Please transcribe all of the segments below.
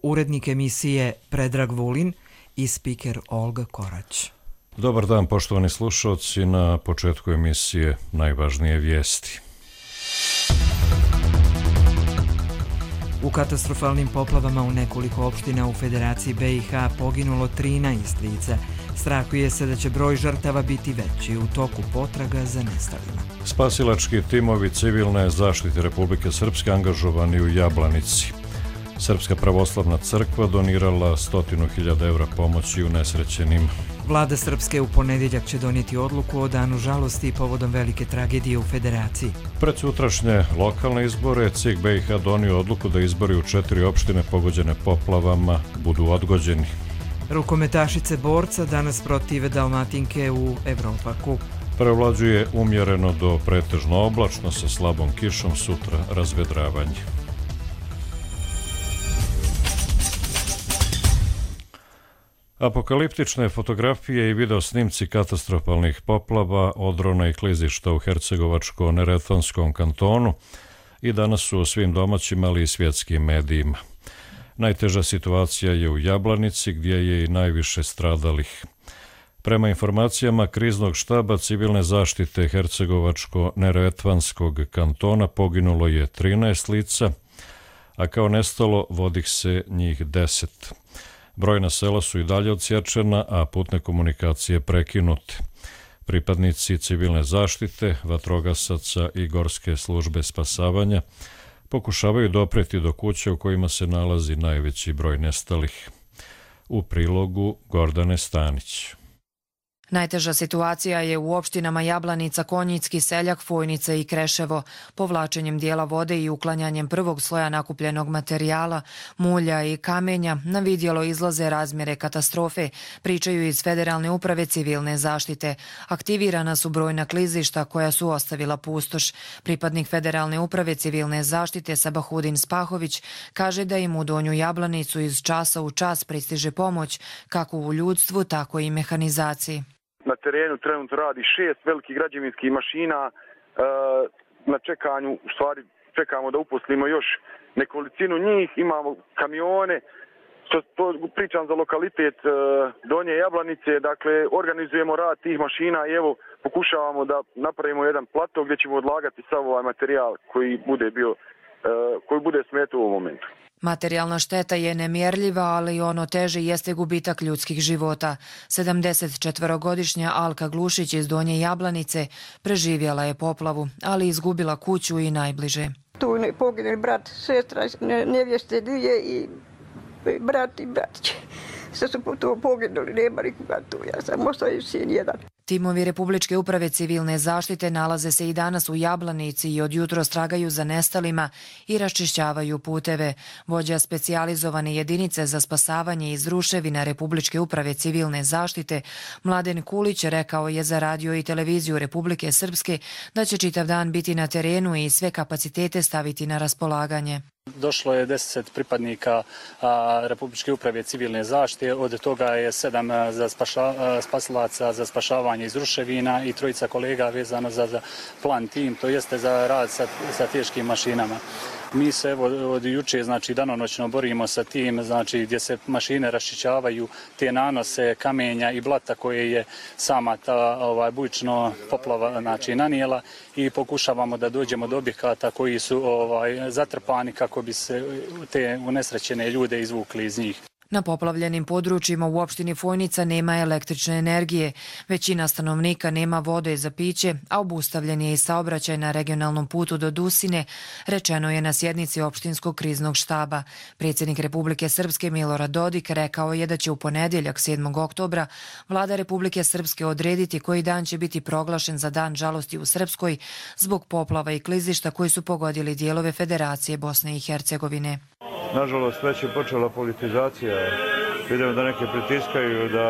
urednik emisije Predrag Vulin i spiker Olga Korać. Dobar dan, poštovani slušalci, na početku emisije najvažnije vijesti. U katastrofalnim poplavama u nekoliko opština u Federaciji BiH poginulo 13 lica. Strahuje se da će broj žrtava biti veći u toku potraga za nestalima. Spasilački timovi civilne zaštite Republike Srpske angažovani u Jablanici. Srpska pravoslavna crkva donirala 100.000 evra pomoći unesrećenima. Vlada Srpske u ponedjeljak će donijeti odluku o danu žalosti povodom velike tragedije u Federaciji. Pred sutrašnje lokalne izbore CIK BiH donio odluku da izbori u 4 opštine pogođene poplavama budu odgođeni. Rukometašice borca danas protive Dalmatinke u Evropaku. Prevlađuje umjereno do pretežno oblačno sa slabom kišom, sutra razvedravanje. Apokaliptične fotografije i video snimci katastrofalnih poplava, odrona i klizišta u Hercegovačko-Neretvanskom kantonu i danas su u svim domaćim, ali i svjetskim medijima. Najteža situacija je u Jablanici, gdje je i najviše stradalih. Prema informacijama kriznog štaba civilne zaštite Hercegovačko-Neretvanskog kantona poginulo je 13 lica, a kao nestalo vodi se njih 10. Brojna sela su i dalje odsječena, a putne komunikacije prekinute. Pripadnici civilne zaštite, vatrogasaca i gorske službe spasavanja pokušavaju dopreti do kuće u kojima se nalazi najveći broj nestalih. U prilogu Gordane Stanić. Najteža situacija je u opštinama Jablanica, Konjicki, Seljak, Fojnica i Kreševo. Povlačenjem dijela vode i uklanjanjem prvog sloja nakupljenog materijala, mulja i kamenja na vidjelo izlaze razmjere katastrofe, pričaju iz Federalne uprave civilne zaštite. Aktivirana su brojna klizišta koja su ostavila pustoš. Pripadnik Federalne uprave civilne zaštite Sabahudin Spahović kaže da im u Donju Jablanicu iz časa u čas pristiže pomoć, kako u ljudstvu, tako i mehanizaciji. Na terenu trenutno radi 6 velikih građevinskih mašina. Na čekanju, u stvari čekamo da uposlimo još nekolicinu njih. Imamo kamione. To pričam za lokalitet Donje Jablanice. Dakle, organizujemo rad tih mašina i evo pokušavamo da napravimo jedan plato gdje ćemo odlagati sav ovaj materijal koji bude smetao u ovom momentu. Materijalna šteta je nemjerljiva, ali ono teže jeste gubitak ljudskih života. 74-godišnja Alka Glušić iz Donje Jablanice preživjela je poplavu, ali izgubila kuću i najbliže. Tu je poginuli brat, sestra, nevjeste dvije i brat i bratić. Sve su tu poginuli, nema nikoga tu, ja sam ostao sin jedan. Timovi Republičke uprave civilne zaštite nalaze se i danas u Jablanici i od jutros tragaju za nestalima i raščišćavaju puteve. Vođa specijalizovane jedinice za spasavanje iz ruševina Republičke uprave civilne zaštite Mladen Kulić rekao je za radio i televiziju Republike Srpske da će čitav dan biti na terenu i sve kapacitete staviti na raspolaganje. Došlo je 10 pripadnika Republičke uprave civilne zaštite, od toga je 7 spasilaca za spašavanje iz ruševina i 3 kolega vezano za plan tim, to jeste za rad sa teškim mašinama. Mi se od juče, danonoćno borimo sa tim, gdje se mašine raščišćavaju te nanose kamenja i blata koje je sama ta bujično poplava nanijela i pokušavamo da dođemo do objekata koji su zatrpani kako bi se te unesrećene ljude izvukli iz njih. Na poplavljenim područjima u opštini Fojnica nema električne energije. Većina stanovnika nema vode za piće, a obustavljen je i saobraćaj na regionalnom putu do Dusine, rečeno je na sjednici opštinskog kriznog štaba. Predsjednik Republike Srpske Milorad Dodik rekao je da će u ponedjeljak 7. oktobra Vlada Republike Srpske odrediti koji dan će biti proglašen za dan žalosti u Srpskoj zbog poplava i klizišta koji su pogodili dijelove Federacije Bosne i Hercegovine. Nažalost, već je počela politizacija. Vidimo da neki pritiskaju da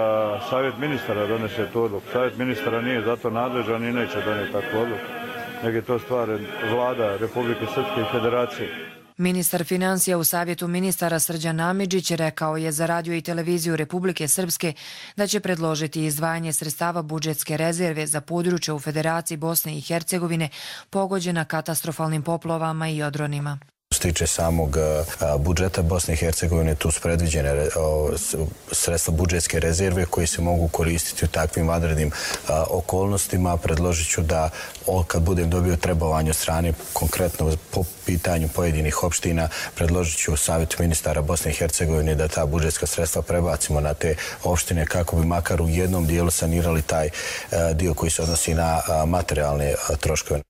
Savjet ministara donese tu odluku. Savjet ministara nije zato nadležan i neće donijeti takvu odluku. Nego je to stvar Vlada Republike Srpske i Federacije. Ministar financija u Savjetu ministara Srđan Amidžić rekao je za radio i televiziju Republike Srpske da će predložiti izdvajanje sredstava budžetske rezerve za područje u Federaciji Bosne i Hercegovine pogođena katastrofalnim poplavama i odronima. se tiče samog budžeta Bosne i Hercegovine, tu su predviđene sredstva budžetske rezerve koji se mogu koristiti u takvim vanrednim okolnostima. Predložit ću da kad budem dobio trebovanje od strane konkretno po pitanju pojedinih opština, predložit ću Savjetu ministara Bosne i Hercegovine da ta budžetska sredstva prebacimo na te opštine kako bi makar u jednom dijelu sanirali taj dio koji se odnosi na materijalne troškove.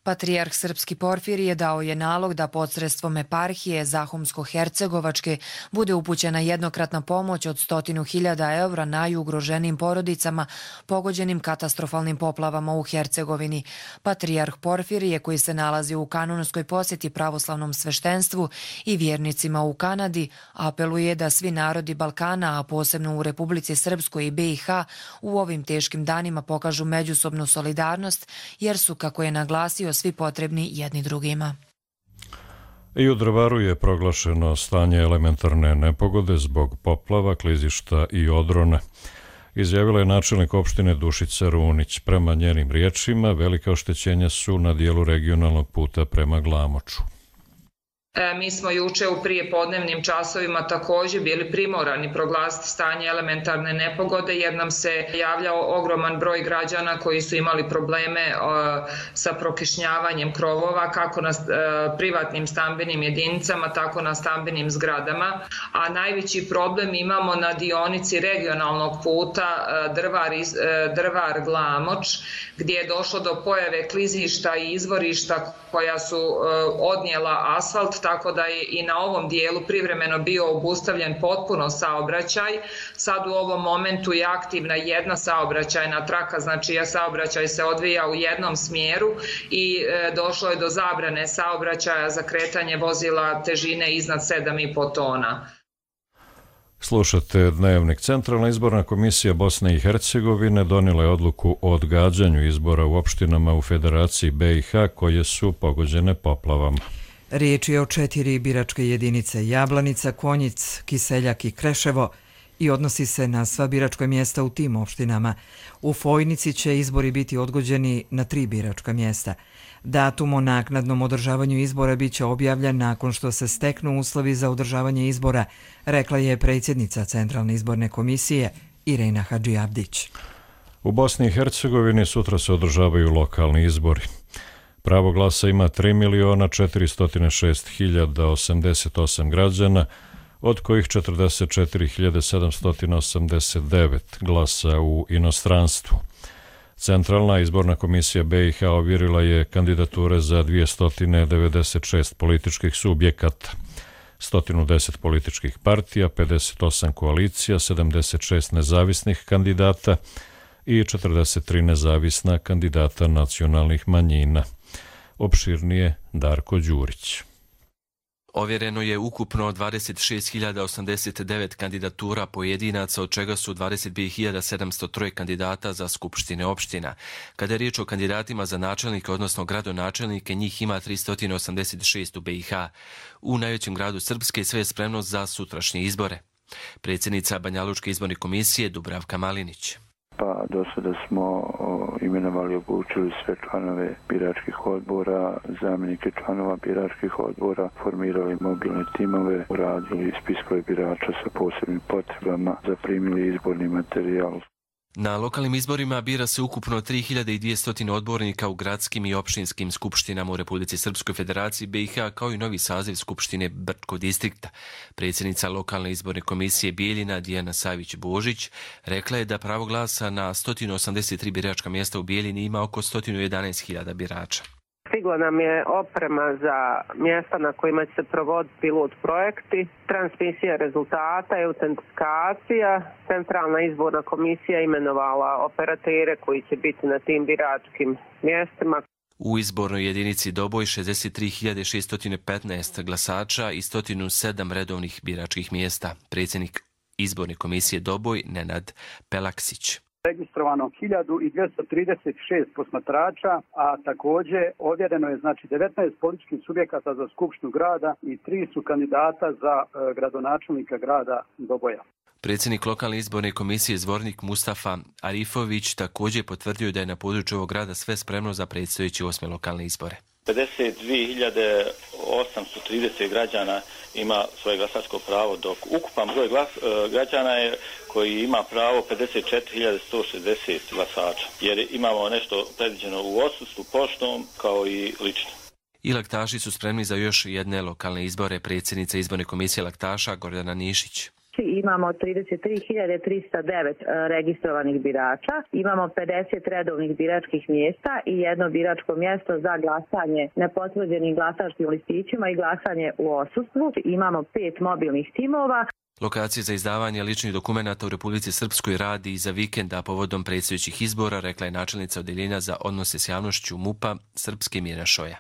Patrijarh Srpski Porfirije dao je nalog da posredstvom eparhije Zahumsko-Hercegovačke bude upućena jednokratna pomoć od 100.000 evra najugroženijim porodicama pogođenim katastrofalnim poplavama u Hercegovini. Patrijarh Porfirije, koji se nalazi u kanonskoj posjeti pravoslavnom sveštenstvu i vjernicima u Kanadi, apeluje da svi narodi Balkana, a posebno u Republici Srpskoj i BiH, u ovim teškim danima pokažu međusobnu solidarnost, jer su, kako je naglasio, svi potrebni jedni drugima. I u Drvaru je proglašeno stanje elementarne nepogode zbog poplava, klizišta i odrona. Izjavila je načelnik opštine Dušica Runić. Prema njenim riječima, velika oštećenja su na dijelu regionalnog puta prema Glamoču. Mi smo juče u prijepodnevnim časovima također bili primorani proglasiti stanje elementarne nepogode jer nam se javljao ogroman broj građana koji su imali probleme sa prokišnjavanjem krovova kako na privatnim stambenim jedinicama, tako na stambenim zgradama. A najveći problem imamo na dionici regionalnog puta Drvar-Glamoč, gdje je došlo do pojave klizišta i izvorišta koja su odnijela asfalt, tako da je i na ovom dijelu privremeno bio obustavljen potpuno saobraćaj. Sad u ovom momentu je aktivna jedna saobraćajna traka, znači saobraćaj se odvija u jednom smjeru i došlo je do zabrane saobraćaja za kretanje vozila težine iznad 7,5 tona. Slušate Dnevnik. Centralna izborna komisija Bosne i Hercegovine donijela je odluku o odgađanju izbora u opštinama u Federaciji BiH koje su pogođene poplavama. Riječ je o 4 biračke jedinice: Jablanica, Konjic, Kiseljak i Kreševo, i odnosi se na sva biračka mjesta u tim opštinama. U Fojnici će izbori biti odgođeni na 3 biračka mjesta. Datum o naknadnom održavanju izbora bit će objavljen nakon što se steknu uslovi za održavanje izbora, rekla je predsjednica Centralne izborne komisije Irena Hadžiavdić. U Bosni i Hercegovini sutra se održavaju lokalni izbori. Pravo glasa ima 3.406.088 građana, od kojih 44.789 glasa u inostranstvu. Centralna izborna komisija BiH ovjerila je kandidature za 296 političkih subjekata, 110 političkih partija, 58 koalicija, 76 nezavisnih kandidata i 43 nezavisna kandidata nacionalnih manjina. Opširnije Darko Đurić. Ovjereno je ukupno 26.089 kandidatura pojedinaca, od čega su 22.703 kandidata za skupštine opština. Kada je riječ o kandidatima za načelnike, odnosno gradonačelnike, njih ima 386 u BiH. U najvećem gradu Srpske sve je spremno za sutrašnje izbore. Predsjednica Banjalučke izborne komisije Dubravka Malinić. Pa do sada smo imenovali i obučili sve članove biračkih odbora, zamjenike članova biračkih odbora, formirali mobilne timove, uradili spiskove birača sa posebnim potrebama, zaprimili izborni materijal. Na lokalnim izborima bira se ukupno 3.200 odbornika u gradskim i opštinskim skupštinama u Republici Srpskoj Federaciji BiH, kao i novi saziv skupštine Brčkog distrikta. Predsjednica lokalne izborne komisije Bijeljina Dijana Savić-Božić rekla je da pravo glasa na 183 biračka mjesta u Bijeljini ima oko 111.000 birača. Stigla nam je oprema za mjesta na kojima će se provoditi pilot projekti, transmisija rezultata i autentifikacija. Centralna izborna komisija imenovala operatere koji će biti na tim biračkim mjestima. U izbornoj jedinici Doboj 63.615 glasača i 107 redovnih biračkih mjesta. Predsjednik izborne komisije Doboj Nenad Pelaksić. Registrovano 1236 posmatrača, a također ovjereno je 19 političkih subjekata za skupštinu grada i 3 su kandidata za gradonačelnika grada Doboja. Predsjednik lokalne izborne komisije Zvornik Mustafa Arifović također potvrdio da je na području ovog grada sve spremno za predstojeće 8. lokalne izbore. 52.830 građana ima svoje glasačko pravo, dok ukupan broj građana je koji ima pravo 54.160 glasača, jer imamo nešto predviđeno u odsustvu, poštom kao i lično. I laktaši su spremni za još jedne lokalne izbore. Predsjednica izborne komisije laktaša Gordana Nišić. Imamo 33.309 registrovanih birača, imamo 50 redovnih biračkih mjesta i jedno biračko mjesto za glasanje nepotvrđenim glasačkim listićima i glasanje u odsustvu. Imamo 5 mobilnih timova. Lokacije za izdavanje ličnih dokumenata u Republici Srpskoj radi i za vikenda povodom predsjedničkih izbora, rekla je načelnica odeljenja za odnose s javnošću MUP-a Srpske Mira Šoja.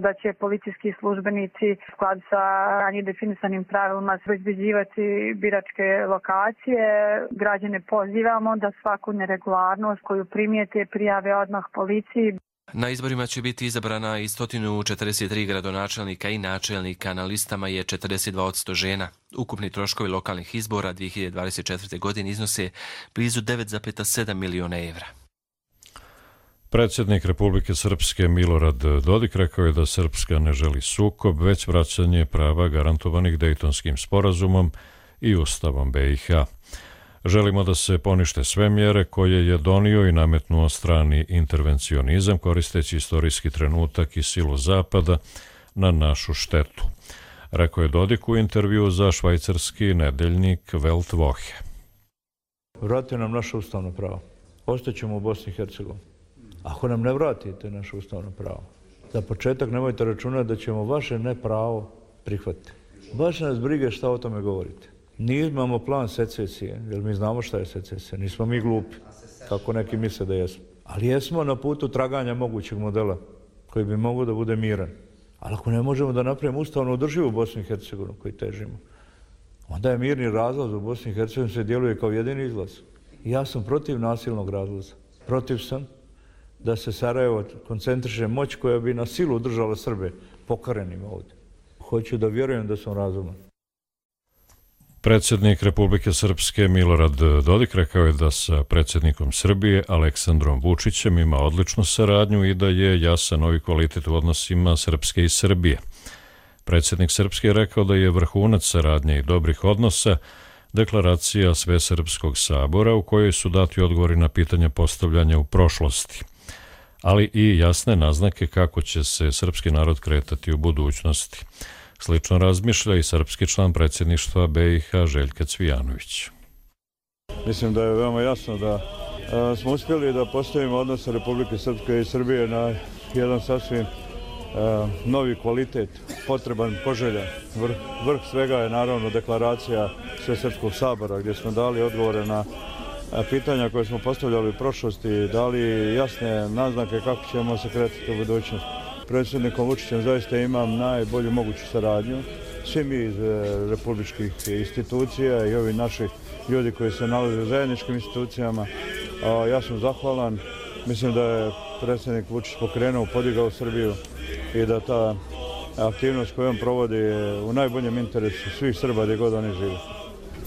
Da će policijski službenici u skladu sa ranije definisanim pravilima obezbeđivati biračke lokacije. Građane pozivamo da svaku neregularnost koju primijete prijave odmah policiji. Na izborima će biti izabrana i 143 gradonačelnika i načelnika. Na listama je 42% žena. Ukupni troškovi lokalnih izbora 2024. godine iznose blizu 9,7 miliona evra. Predsjednik Republike Srpske Milorad Dodik rekao je da Srpska ne želi sukob, već vraćanje prava garantovanih Dejtonskim sporazumom i Ustavom BiH. Želimo da se ponište sve mjere koje je donio i nametnuo strani intervencionizam koristeći istorijski trenutak i silu Zapada na našu štetu, rekao je Dodik u intervju za švajcarski nedeljnik Welt Woche. Vratite nam naše ustavno pravo. Ostaćemo u Bosni i Hercegovini. Ako nam ne vratite naše ustavno pravo, za početak nemojte računati da ćemo vaše nepravo prihvatiti. Baš nas brige šta o tome govorite. Nimamo plan secesije, jer mi znamo šta je secesija. Nismo mi glupi, kako neki misle da jesmo. Ali jesmo na putu traganja mogućeg modela koji bi mogao da bude miran. Ali ako ne možemo da napravimo ustavno održivu Bosnu i Hercegovinu koji težimo, onda je mirni razlaz u Bosni i Hercegovini se djeluje kao jedini izlaz. Ja sam protiv nasilnog razlaza. Protiv sam da se Sarajevo koncentriše moć koja bi na silu držala Srbe pokarenim ovdje. Hoću da vjerujem da sam razuman. Predsjednik Republike Srpske Milorad Dodik rekao je da sa predsjednikom Srbije Aleksandrom Vučićem ima odličnu saradnju i da je jasan novi kvalitet u odnosima Srpske i Srbije. Predsjednik Srpske je rekao da je vrhunac saradnje i dobrih odnosa deklaracija Svesrpskog sabora u kojoj su dati odgovori na pitanja postavljanja u prošlosti, ali i jasne naznake kako će se srpski narod kretati u budućnosti. Slično razmišlja i srpski član predsjedništva BiH Željka Cvijanović. Mislim da je veoma jasno da smo uspjeli da postavimo odnose Republike Srpske i Srbije na jedan sasvim novi kvalitet, potreban, poželjan. Vrh svega je naravno deklaracija Svesrpskog sabora gdje smo dali odgovore na pitanja koje smo postavljali u prošlosti, dali jasne naznake kako ćemo se kretati u budućnosti. Predsjednikom Vučićem zaista imam najbolju moguću saradnju. Svi mi iz republičkih institucija i ovi naši ljudi koji se nalaze u zajedničkim institucijama. Ja sam zahvalan. Mislim da je predsjednik Vučić pokrenuo, podigao Srbiju i da ta aktivnost koju on provodi je u najboljem interesu svih Srba gdje god oni žive.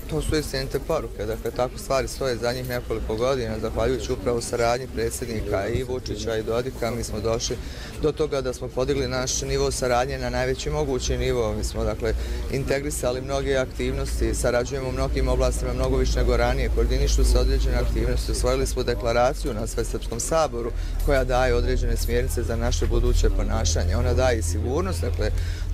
To su istinite poruke, dakle tako stvari stoje zadnjih nekoliko godina, zahvaljujući upravo saradnji predsjednika i Vučića i Dodika, mi smo došli do toga da smo podigli naš nivo saradnje na najveći mogući nivo. Mi smo dakle integrisali mnoge aktivnosti, sarađujemo u mnogim oblastima mnogo više nego ranije, koordinišu se određene aktivnosti, usvojili smo deklaraciju na Svesrpskom saboru koja daje određene smjernice za naše buduće ponašanje. Ona daje i sigurnost, dakle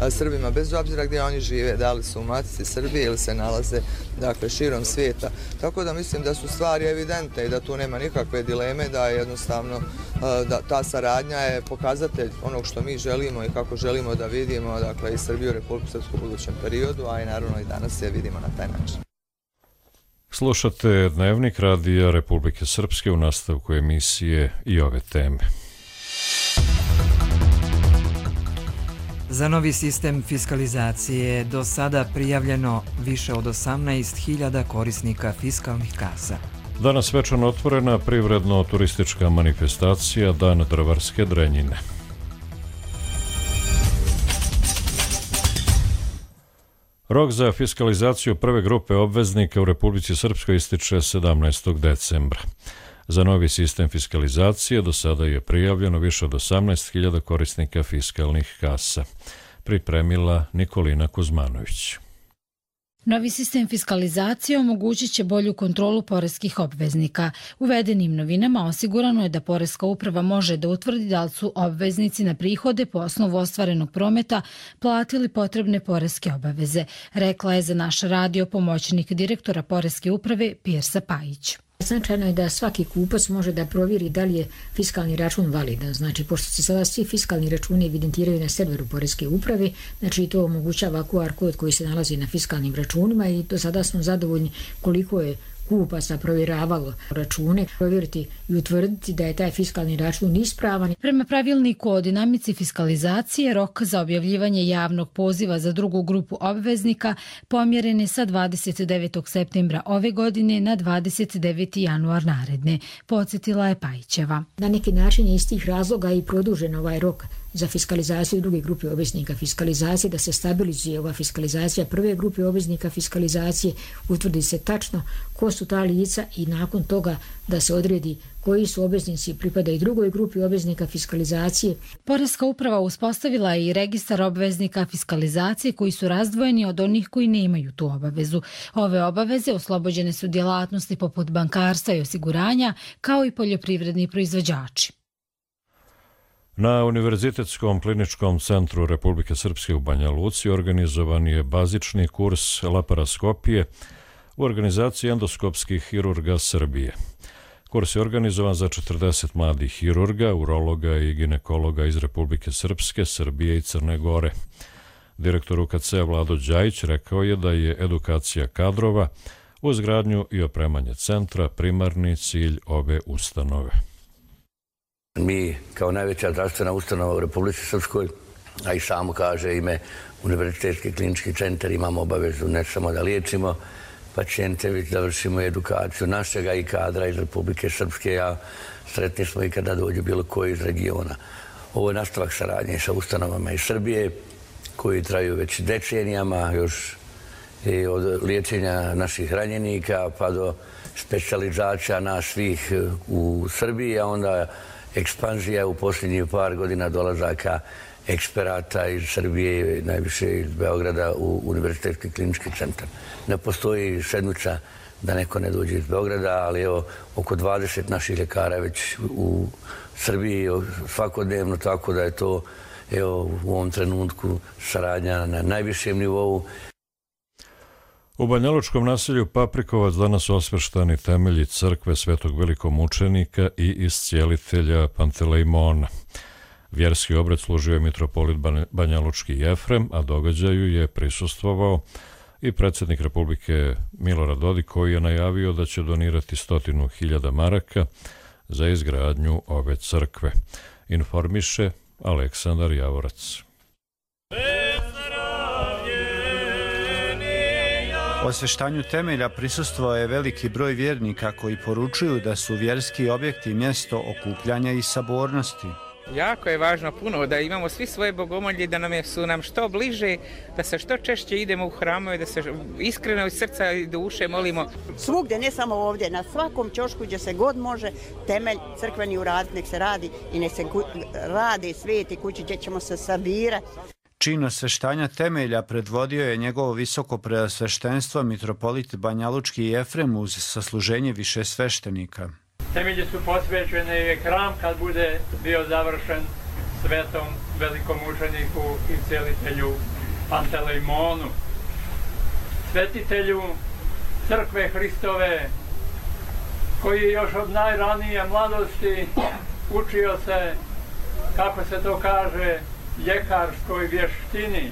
Srbima bez obzira gdje oni žive, da li su u matici Srbije ili se nalaze dakle širom svijeta. Tako da mislim da su stvari evidentne i da tu nema nikakve dileme, da jednostavno da ta saradnja je pokazatelj onog što mi želimo i kako želimo da vidimo dakle i Srbiju i Republiku Srpsku u budućem periodu, a i naravno i danas je vidimo na taj način. Slušate Dnevnik radija Republike Srpske u nastavku emisije i ove teme. Za novi sistem fiskalizacije do sada prijavljeno više od 18.000 korisnika fiskalnih kasa. Danas svečano otvorena privredno-turistička manifestacija Dan drvarske drenjine. Rok za fiskalizaciju prve grupe obveznika u Republici Srpskoj ističe 17. decembra. Za novi sistem fiskalizacije do sada je prijavljeno više od 18.000 korisnika fiskalnih kasa. Pripremila Nikolina Kuzmanović. Novi sistem fiskalizacije omogućit će bolju kontrolu poreskih obveznika. Uvedenim novinama osigurano je da Poreska uprava može da utvrdi da li su obveznici na prihode po osnovu ostvarenog prometa platili potrebne poreske obaveze, rekla je za naš radio pomoćnik direktora Poreske uprave Pirsa Pajić. Značajno je da svaki kupac može da provjeri da li je fiskalni račun validan. Znači, pošto se sada svi fiskalni računi evidentiraju na serveru Poreske uprave, znači to omogućava QR kod koji se nalazi na fiskalnim računima i do sada smo zadovoljni koliko je kupaca provjeravalo račune, provjeriti i utvrditi da je taj fiskalni račun ispravan. Prema pravilniku o dinamici fiskalizacije, rok za objavljivanje javnog poziva za drugu grupu obveznika pomjeren je sa 29. septembra ove godine na 29. januar naredne, podsjetila je Pajićeva. Na neki način je iz tih razloga i produžen ovaj rok za fiskalizaciju druge grupe obveznika fiskalizacije, da se stabilizuje ova fiskalizacija prve grupe obveznika fiskalizacije, utvrdi se tačno ko su ta lica i nakon toga da se odredi koji su obveznici pripadaju drugoj grupi obveznika fiskalizacije. Poreska uprava uspostavila je i registar obveznika fiskalizacije koji su razdvojeni od onih koji nemaju tu obavezu. Ove obaveze oslobođene su djelatnosti poput bankarstva i osiguranja, kao i poljoprivredni proizvođači. Na Univerzitetskom kliničkom centru Republike Srpske u Banja Luci organizovan je bazični kurs laparaskopije u organizaciji endoskopskih hirurga Srbije. Kurs je organizovan za 40 mladih hirurga, urologa i ginekologa iz Republike Srpske, Srbije i Crne Gore. Direktor UKC Vlado Đajić rekao je da je edukacija kadrova u izgradnju i opremanje centra primarni cilj ove ustanove. Mi kao najveća zdravstvena ustanova u Republici Srpskoj, a i samo kaže ime Univerzitetski klinički centar, imamo obavezu ne samo da liječimo pacijente, već da vršimo edukaciju našega i kadra iz Republike Srpske, a sretni smo i kada dođe bilo koji iz regiona. Ovo je nastavak saradnje sa ustanovama iz Srbije, koji traju već decenijama, još i od liječenja naših ranjenika pa do specijalizacija nas svih u Srbiji, a onda ekspanzija u posljednjih par godina dolazaka eksperata iz Srbije, najviše iz Beograda u Univerzitetski klinički centar. Ne postoji sedmica da neko ne dođe iz Beograda, ali evo, oko 20 naših ljekara već u Srbiji svakodnevno, tako da je to evo, u ovom trenutku saradnja na najvišem nivou. U banjalučkom naselju Paprikovac danas osveštani temelji crkve Svetog velikomučenika i iscijelitelja Pantelejmona. Vjerski obred služio je mitropolit banjalučki Jefrem, a događaju je prisustvovao i predsjednik Republike Milorad Dodik, koji je najavio da će donirati 100.000 maraka za izgradnju ove crkve. Informiše Aleksandar Javorac. Osveštanju temelja prisustvovao je veliki broj vjernika koji poručuju da su vjerski objekti mjesto okupljanja i sabornosti. Jako je važno puno da imamo svi svoje bogomolje, da su nam što bliže, da se što češće idemo u hramove, da se iskreno iz srca i duše molimo. Svugdje, ne samo ovdje, na svakom ćošku gdje se god može temelj crkveni uraditi, nek se radi i nek se radi sveti kući gdje ćemo se sabirati. Čin osveštanja temelja predvodio je njegovo visoko preosveštenstvo mitropolit banjalučki Jefrem uz sasluženje više sveštenika. Temelji su posvećeni i hram kad bude bio završen svetom velikom učeniku i cijelitelju Pantelejmonu. Svetitelju crkve Hristove, koji još od najranije mladosti učio se, kako se to kaže, ljekarskoj vještini.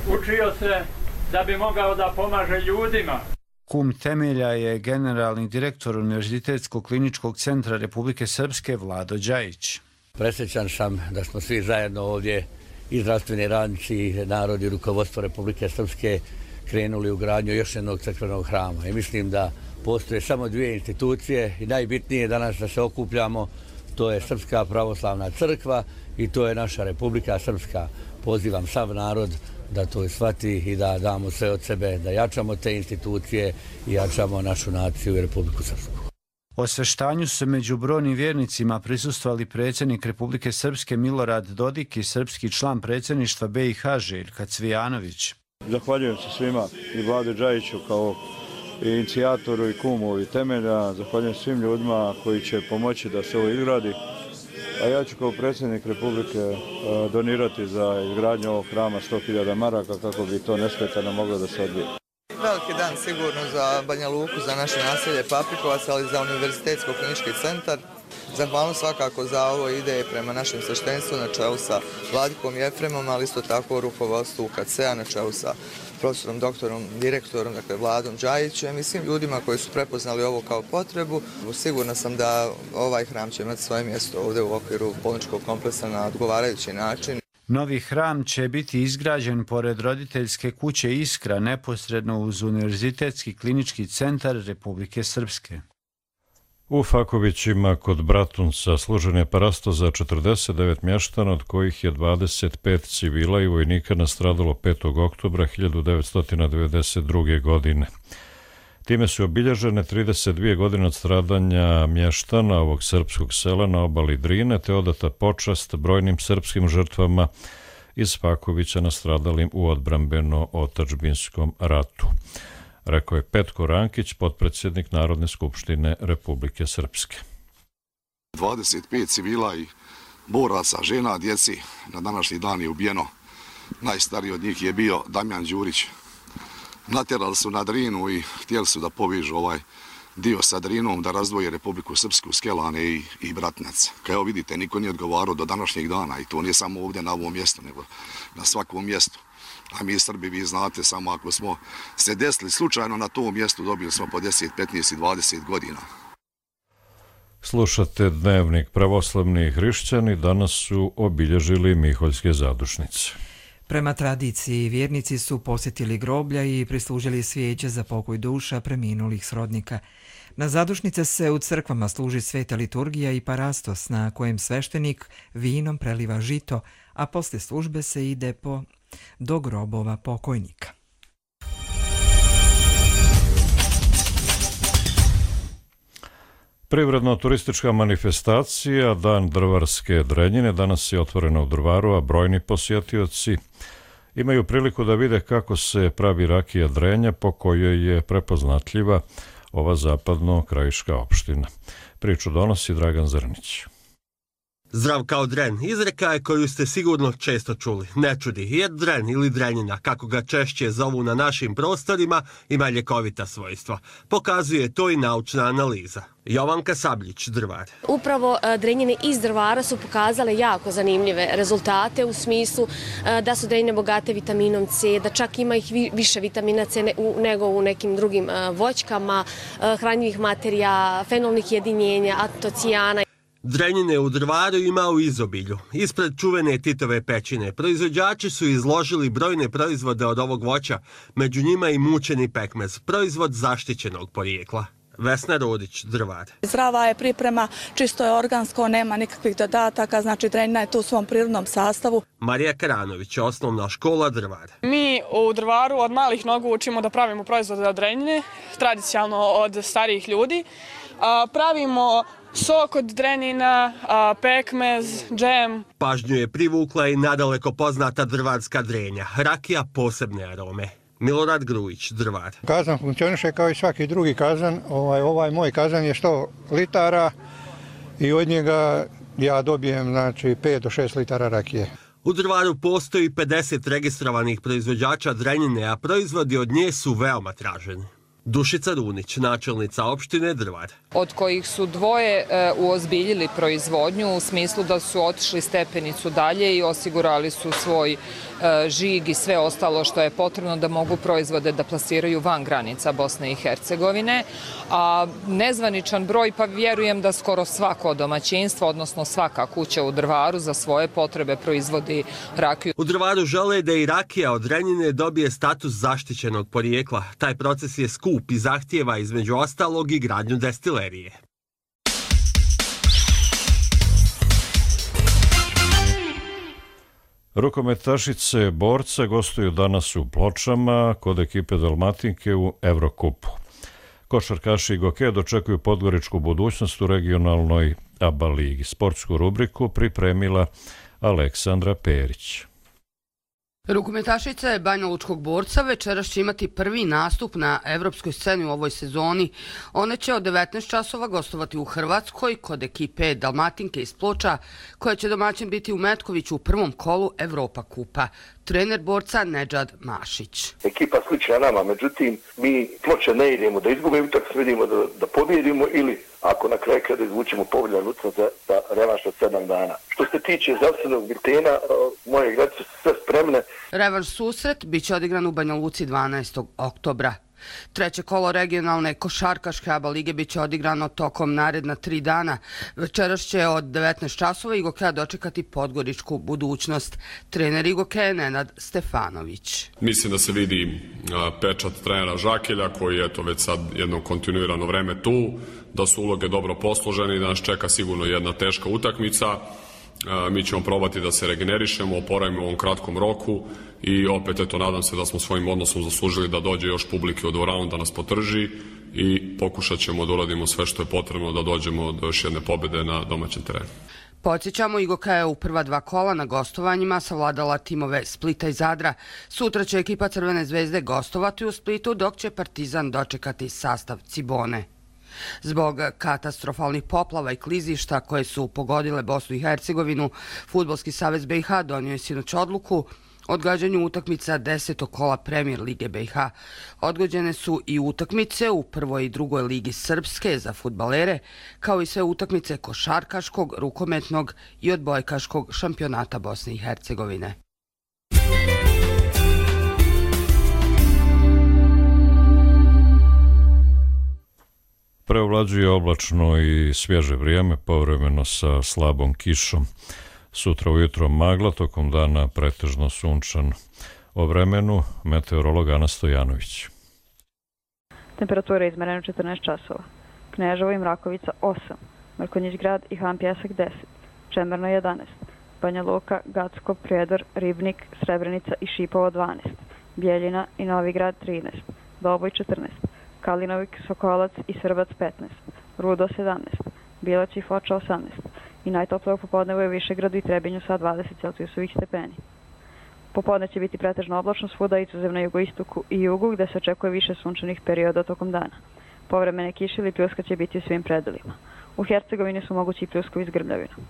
Učio se da bi mogao da pomaže ljudima. Kum temelja je generalni direktor Univerzitetskog kliničkog centra Republike Srpske Vlado Đajić. Presrećan sam da smo svi zajedno ovdje, i zdravstveni radnici, narod i rukovodstvo Republike Srpske, krenuli u gradnju još jednog crkvenog hrama. I mislim da postoje samo dvije institucije i najbitnije danas da se okupljamo, to je Srpska pravoslavna crkva i to je naša Republika Srpska. Pozivam sav narod da to shvati i da damo sve od sebe, da jačamo te institucije i jačamo našu naciju i Republiku Srpsku. Osveštanju su među brojnim vjernicima prisustvovali predsjednik Republike Srpske Milorad Dodik i srpski član predsjedništva BiH Željka Cvijanović. Zahvaljujem se svima i Vladi Džajiću kao i inicijatoru i kumu i temelja. Zahvaljujem svim ljudima koji će pomoći da se ovo izgradi. A ja ću kao predsjednik Republike donirati za izgradnju ovog hrama 100.000 maraka kako bi to nesmetano moglo da se odvije. Veliki dan sigurno za Banja Luku, za naše naselje Paprikovac, ali za Univerzitetsko-klinički centar. Zahvalnost svakako za ovo ide prema našem sveštenstvu na čelu sa Vladikom Jefremom, ali isto tako rukovodstvu UKC-a na čelu sa profesorom, doktorom, direktorom, dakle Vladom Džajićem i svim ljudima koji su prepoznali ovo kao potrebu. Sigurna sam da ovaj hram će imati svoje mjesto ovdje u okviru bolničkog kompleksa na odgovarajući način. Novi hram će biti izgrađen pored roditeljske kuće Iskra, neposredno uz Univerzitetski klinički centar Republike Srpske. U Fakovićima kod Bratunca služen je parasto za 49 mještana, od kojih je 25 civila i vojnika nastradalo 5. oktobra 1992. godine. Time su obilježene 32 godine od stradanja mještana ovog srpskog sela na obali Drine, te odata počast brojnim srpskim žrtvama iz Fakovića nastradalim u odbrambeno-otadžbinskom ratu. Rekao je Petko Rankić, potpredsjednik Narodne skupštine Republike Srpske. 25 civila i boraca, žena, djeci na današnji dan je ubijeno. Najstariji od njih je bio Damjan Đurić. Natjerali su na Drinu i htjeli su da povižu ovaj dio sa Drinom, da razdvoje Republiku Srpsku, Skelane i Bratnac. Kao vidite, niko nije odgovarao do današnjeg dana i to nije samo ovdje na ovom mjestu, nego na svakom mjestu. A mi Srbi, vi znate, samo ako smo se desili slučajno na tom mjestu, dobili smo po 10, 15 i 20 godina. Slušate Dnevnik. Pravoslavni hrišćani danas su obilježili Miholjske zadušnice. Prema tradiciji, vjernici su posjetili groblja i prislužili svijeće za pokoj duša preminulih srodnika. Na zadušnice se u crkvama služi sveta liturgija i parastos na kojem sveštenik vinom preliva žito, a poslije službe se ide do grobova pokojnika. Privredno-turistička manifestacija Dan drvarske drenjine danas je otvorena u Drvaru, a brojni posjetioci imaju priliku da vide kako se pravi rakija drenja, po kojoj je prepoznatljiva ova zapadno-krajiška opština. Priču donosi Dragan Zrnić. Zdrav kao dren, izreka je koju ste sigurno često čuli. Ne čudi, jer dren ili drenjina, kako ga češće zovu na našim prostorima, ima ljekovita svojstva. Pokazuje to i naučna analiza. Jovanka Sabljić, Drvar. Upravo drenjine iz Drvara su pokazale jako zanimljive rezultate u smislu da su drenjine bogate vitaminom C, da čak ima ih više vitamina C nego u nekim drugim voćkama, hranjivih materija, fenolnih jedinjenja, antocijana. Drenjine u Drvaru ima u izobilju. Ispred čuvene Titove pećine proizvođači su izložili brojne proizvode od ovog voća, među njima i mučeni pekmez, proizvod zaštićenog porijekla. Vesna Rodić, Drvar. Zdrava je priprema, čisto je organsko, nema nikakvih dodataka, znači drenjina je tu u svom prirodnom sastavu. Marija Karanović, osnovna škola Drvar. Mi u Drvaru od malih nogu učimo da pravimo proizvode od drenjine, tradicionalno od starijih ljudi. Pravimo sok od drenjina, pekmez, džem. Pažnju je privukla i nadaleko poznata drvarska drenja, rakija posebne arome. Milorad Grujić, Drvar. Kazan funkcioniše kao i svaki drugi kazan. Ovaj moj kazan je 100 litara i od njega ja dobijem 5 do 6 litara rakije. U Drvaru postoji 50 registrovanih proizvođača drenjine, a proizvodi od nje su veoma traženi. Dušica Runić, načelnica opštine Drvar. Od kojih su dvoje uozbiljili proizvodnju u smislu da su otišli stepenicu dalje i osigurali su svoj žig i sve ostalo što je potrebno da mogu proizvode da plasiraju van granica Bosne i Hercegovine. A nezvaničan broj, pa vjerujem da skoro svako domaćinstvo, odnosno svaka kuća u Drvaru za svoje potrebe proizvodi rakiju. U Drvaru žele da i rakija od drenjine dobije status zaštićenog porijekla. Taj proces je skup i zahtijeva između ostalog i gradnju destilerije. Rukometašice borca gostuju danas u Pločama kod ekipe Dalmatinke u Evrokupu. Košarkaši i Goke dočekuju podgoričku budućnost u regionalnoj ABA ligi. Sportsku rubriku pripremila Aleksandra Perić. Rukometašica Banjalučkog Borca večeras će imati prvi nastup na evropskoj sceni u ovoj sezoni. One će od 19 časova gostovati u Hrvatskoj kod ekipe Dalmatinke iz Ploča, koja će domaćin biti u Metkoviću u prvom kolu Evropa kupa. Trener Borca Nedžad Mašić. Ekipa slična nama, međutim mi Ploče ne idemo da izgubimo utakmicu, vidimo da pobjedimo ili ako na kraju kada izvučemo povoljan utakmicu za revanš od 7 dana. Što se tiče zdravstvenog biltena, moje igrače su sve spremne. Revanš susret biće odigran u Banja Luci 12. oktobra. Treće kolo regionalne košarkaške ABA lige biće odigrano tokom naredna 3 dana. Večeras će od 19 časova Igokea dočekati podgoričku budućnost. Trener Igokea Nenad Stefanović. Mislim da se vidi pečat trenera Žakelja koji je već sad jedno kontinuirano vreme tu, da su uloge dobro posložene i da nas čeka sigurno jedna teška utakmica. Mi ćemo probati da se regenerišemo, oporavimo u ovom kratkom roku i opet nadam se da smo svojim odnosom zaslužili da dođe još publike u dvoranu da nas potrži i pokušat ćemo da uradimo sve što je potrebno da dođemo do još jedne pobjede na domaćem terenu. Podsjećamo, Igokea je u prva 2 kola na gostovanjima savladala timove Splita i Zadra. Sutra će ekipa Crvene zvezde gostovati u Splitu, dok će Partizan dočekati sastav Cibone. Zbog katastrofalnih poplava i klizišta koje su pogodile Bosnu i Hercegovinu, Fudbalski savez BiH donio je sinoć odluku o odgađanju utakmica 10. kola Premier lige BiH. Odgođene su i utakmice u prvoj i drugoj ligi Srpske za fudbalere, kao i sve utakmice košarkaškog, rukometnog i odbojkaškog šampionata Bosne i Hercegovine. Preovlađuje oblačno i svježe vrijeme, povremeno sa slabom kišom. Sutra ujutro magla, tokom dana pretežno sunčan. O vremenu meteorolog Ana Stojanović. Temperatura izmerena 14 časova. Kneževo i Mrakovica 8, Mrkonjić grad i Han Pjesak 10, Čemerno 11, Banja Luka, Gacko, Prijedor, Ribnik, Srebrenica i Šipovo 12, Bijeljina i Novi grad 13, Doboj 14, Kalinovik, Sokolac i Srbac 15, Rudo 17, Bilać i Foča 18 i najtoplije u popodnevu je Višegradu i Trebinju sa 20 Celzijusovih stepeni. Popodne će biti pretežno oblačno svuda, izuzev na jugoistoku i jugu, gde se očekuje više sunčanih perioda tokom dana. Povremene kiše ili pljuska će biti u svim predelima. U Hercegovini su mogući i pljuskovi s grmljavinom.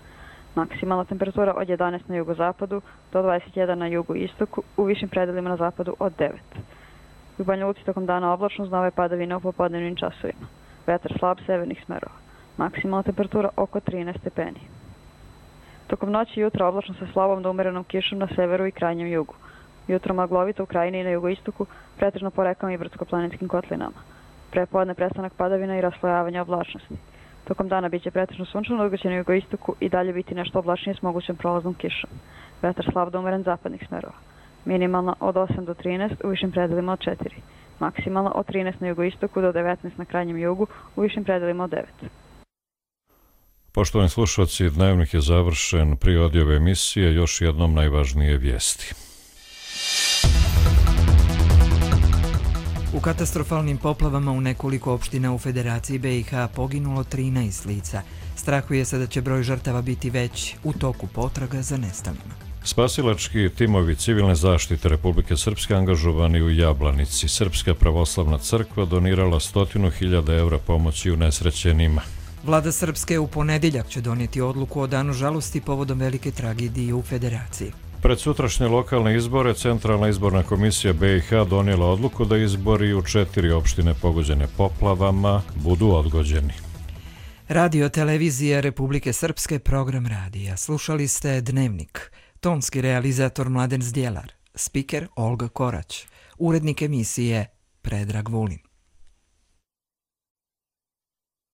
Maksimalna temperatura od 11 na jugozapadu do 21 na jugoistoku, u višim predelima na zapadu od 9. U Banja Luci tokom dana oblačno uz nove padavine u popodnevnim časovima. Vetar slab severnih smerova. Maksimalna temperatura oko 13 stepeni. Tokom noći i jutra oblačno sa slabom do umerenom kišom na severu i krajnjem jugu. Jutro maglovito u krajini i na jugoistoku, pretežno po rekama i brdsko-planinskim kotlinama. Prepodne prestanak padavina i raslojavanja oblačnosti. Tokom dana biće pretežno sunčano, dok će na jugoistoku i dalje biti nešto oblačnije s mogućem prolaznom kišom. Vetar slab do umeren zapadnih smerova. Minimalna od 8 do 13, u višim predelima od 4. Maksimalna od 13 na jugoistoku do 19 na krajnjem jugu, u višim predelima od 9. Poštovani slušalci, dnevnik je završen. Prije odjave emisije još jednom najvažnije vijesti. U katastrofalnim poplavama u nekoliko opština u Federaciji BiH poginulo 13 lica. Strahuje se da će broj žrtava biti veći u toku potraga za nestalima. Spasilački timovi civilne zaštite Republike Srpske angažovani u Jablanici. Srpska pravoslavna crkva donirala 100.000 evra pomoći unesrećenima. Vlada Srpske u ponedjeljak će donijeti odluku o danu žalosti povodom velike tragedije u Federaciji. Pred sutrašnje lokalne izbore Centralna izborna komisija BiH donijela odluku da izbori u 4 opštine pogođene poplavama budu odgođeni. Radio televizija Republike Srpske, program radija. Slušali ste Dnevnik. Tonski realizator Mladen Zdjelar. Spiker Olga Korać. Urednik emisije Predrag Vulin.